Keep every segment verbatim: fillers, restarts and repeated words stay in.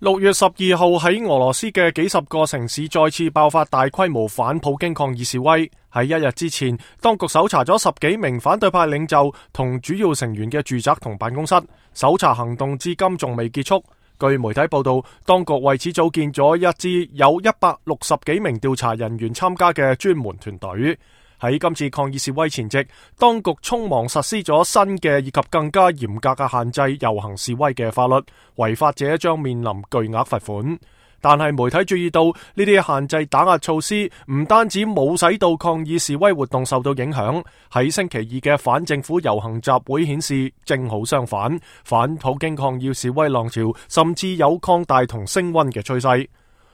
六月十二號喺俄羅斯嘅幾十個城市再次爆發大規模反普京抗議示威。喺一日之前，當局搜查咗十幾名反對派領袖同主要成員嘅住宅同辦公室，搜查行動至今仲未結束。據媒體報道，當局為此組建咗一支有一百六十幾名調查人員參加嘅專門團隊。喺今次抗議示威前夕，當局匆忙實施咗新嘅以及更加嚴格嘅限制遊行示威嘅法律，違法者將面臨巨額罰款。但係媒體注意到呢啲限制打壓措施唔單止冇使到抗議示威活動受到影響，喺星期二嘅反政府遊行集會顯示正好相反，反普京抗議示威浪潮甚至有擴大同升溫嘅趨勢。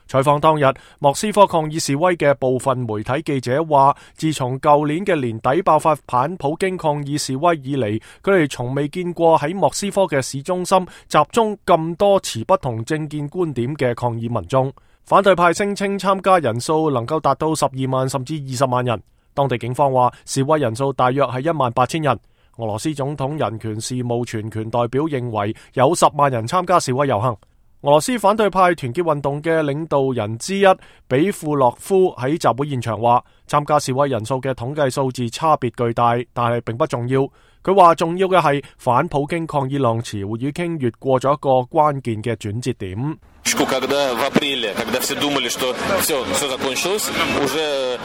採訪當日，莫斯科抗議示威嘅部分媒體記者話，自從舊年嘅年底爆發反普京抗議示威以嚟，佢哋從未見過喺莫斯科嘅市中心集中咁多持不同政見觀點嘅抗議民眾。反對派聲稱參加人數能夠達到十二萬甚至二十萬人。當地警方話示威人數大約係一萬八千人。俄羅斯總統人權事務全權代表認為有十萬人參加示威遊行。俄羅斯反對派團結運動嘅領導人之一比庫洛夫喺集會現場話，參加示威人數嘅統計數字差別巨大，但係並不重要。佢話重要嘅係反普京抗議浪潮已經越過咗一個關鍵嘅轉折點。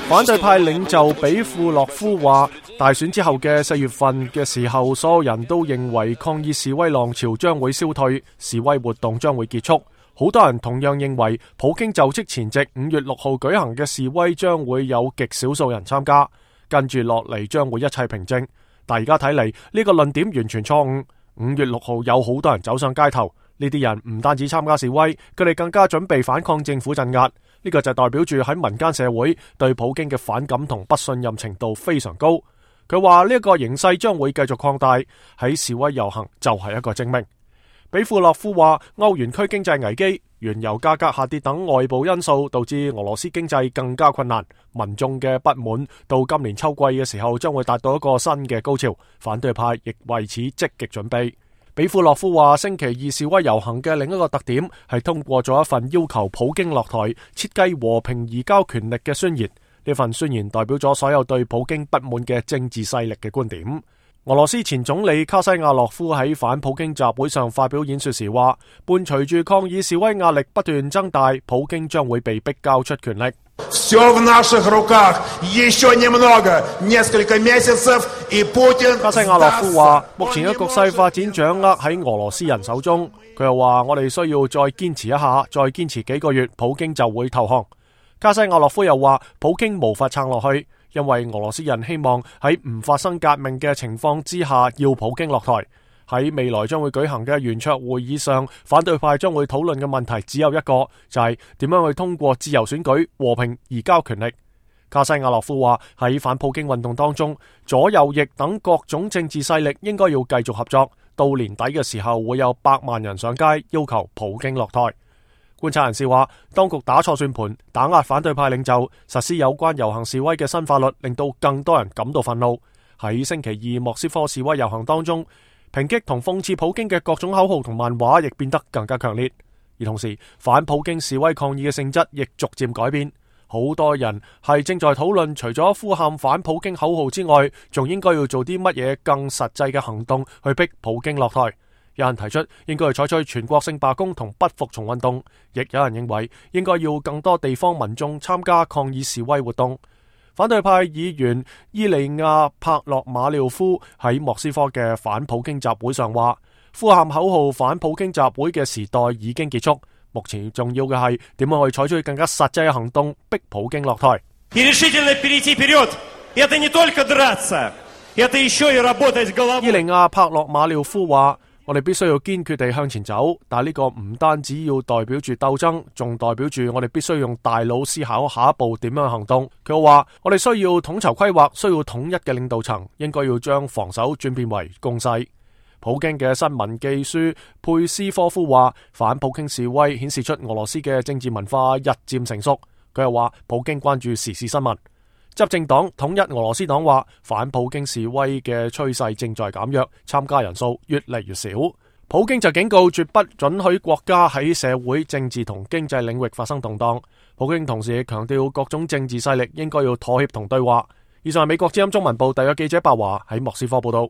反對派領袖比庫洛夫話，大選之後嘅四月份嘅時候，所有人都認為抗議示威浪潮將會消退，示威活動將會結束。好多人同樣認為普京就職前夕五月六號舉行嘅示威將會有極少數人參加，跟住落嚟將會一切平靜。但而家睇嚟呢個論點完全錯誤。五月六號有好多人走上街頭，呢啲人唔單止參加示威，佢哋更加準備反抗政府鎮壓。呢個就代表住喺民間社會對普京嘅反感同不信任程度非常高。佢話呢一個形勢將會繼續擴大，喺示威遊行就係一個證明。比庫洛夫話，歐元區經濟危機、原油價格下跌等外部因素導致俄羅斯經濟更加困難，民眾嘅不滿到今年秋季嘅時候將會達到一個新嘅高潮，反對派亦為此積極準備。比庫洛夫話，星期二示威遊行嘅另一個特點係通過咗一份要求普京落台、設計和平移交權力嘅宣言。呢份宣言代表咗所有對普京不滿嘅政治勢力嘅觀點。俄羅斯前總理卡西亞洛夫喺反普京集會上發表演說時話，伴隨住抗議示威壓力不斷增大，普京將會被逼交出權力。卡西亞洛夫話，目前嘅局勢發展掌握喺俄羅斯人手中。佢又話，我哋需要再堅持一下，再堅持幾個月，普京就會投降。卡西亞洛夫又話，普京無法撐落去，因為俄羅斯人希望喺唔發生革命嘅情況之下要普京落台。喺未來將會舉行嘅圓桌會議上，反對派將會討論嘅問題只有一個，就係點樣去通過自由選舉和平移交權力。卡西亞洛夫話，喺反普京運動當中，左右翼等各種政治勢力應該要繼續合作，到年底嘅時候會有百萬人上街要求普京落台。觀察人士話，當局打錯算盤，打壓反對派領袖，實施有關遊行示威嘅新法律，令到更多人感到憤怒。喺星期二莫斯科示威遊行當中，抨擊同諷刺普京嘅各種口號同漫畫亦變得更加強烈。而同時，反普京示威抗議嘅性質亦逐漸改變。好多人係正在討論，除咗呼喊反普京口號之外，仲應該要做啲乜嘢更實際嘅行動去逼普京落台。有人提出應該係採取全國性罷工同不服從運動，亦有人認為應該要更多地方民眾參加抗議示威活動。反對派議員伊利亞帕洛馬廖夫喺莫斯科嘅反普京集會上話，呼喊口號反普京集會嘅時代已經結束，目前重要嘅係點樣去採取更加實際嘅行動逼普京落台。伊利亞帕洛馬廖夫話，我哋必須要堅決地向前走，但係呢個唔單止要代表住鬥爭，仲代表住我哋必須用大腦思考下一步點樣行動。佢話我哋需要統籌規劃，需要統一嘅領導層，應該要將防守轉變為攻勢。普京嘅新聞記書佩斯科夫話，反普京示威顯示出俄羅斯嘅政治文化日漸成熟。佢又話普京關注時事新聞。執政黨統一俄羅斯黨話，反普京示威嘅趨勢正在減弱，參加人數越嚟越少。普京就警告絕不准許國家喺社會、政治同經濟領域發生動盪。普京同時亦強調各種政治勢力應該要妥協同對話。以上係美國之音中文部特約記者白華喺莫斯科報道。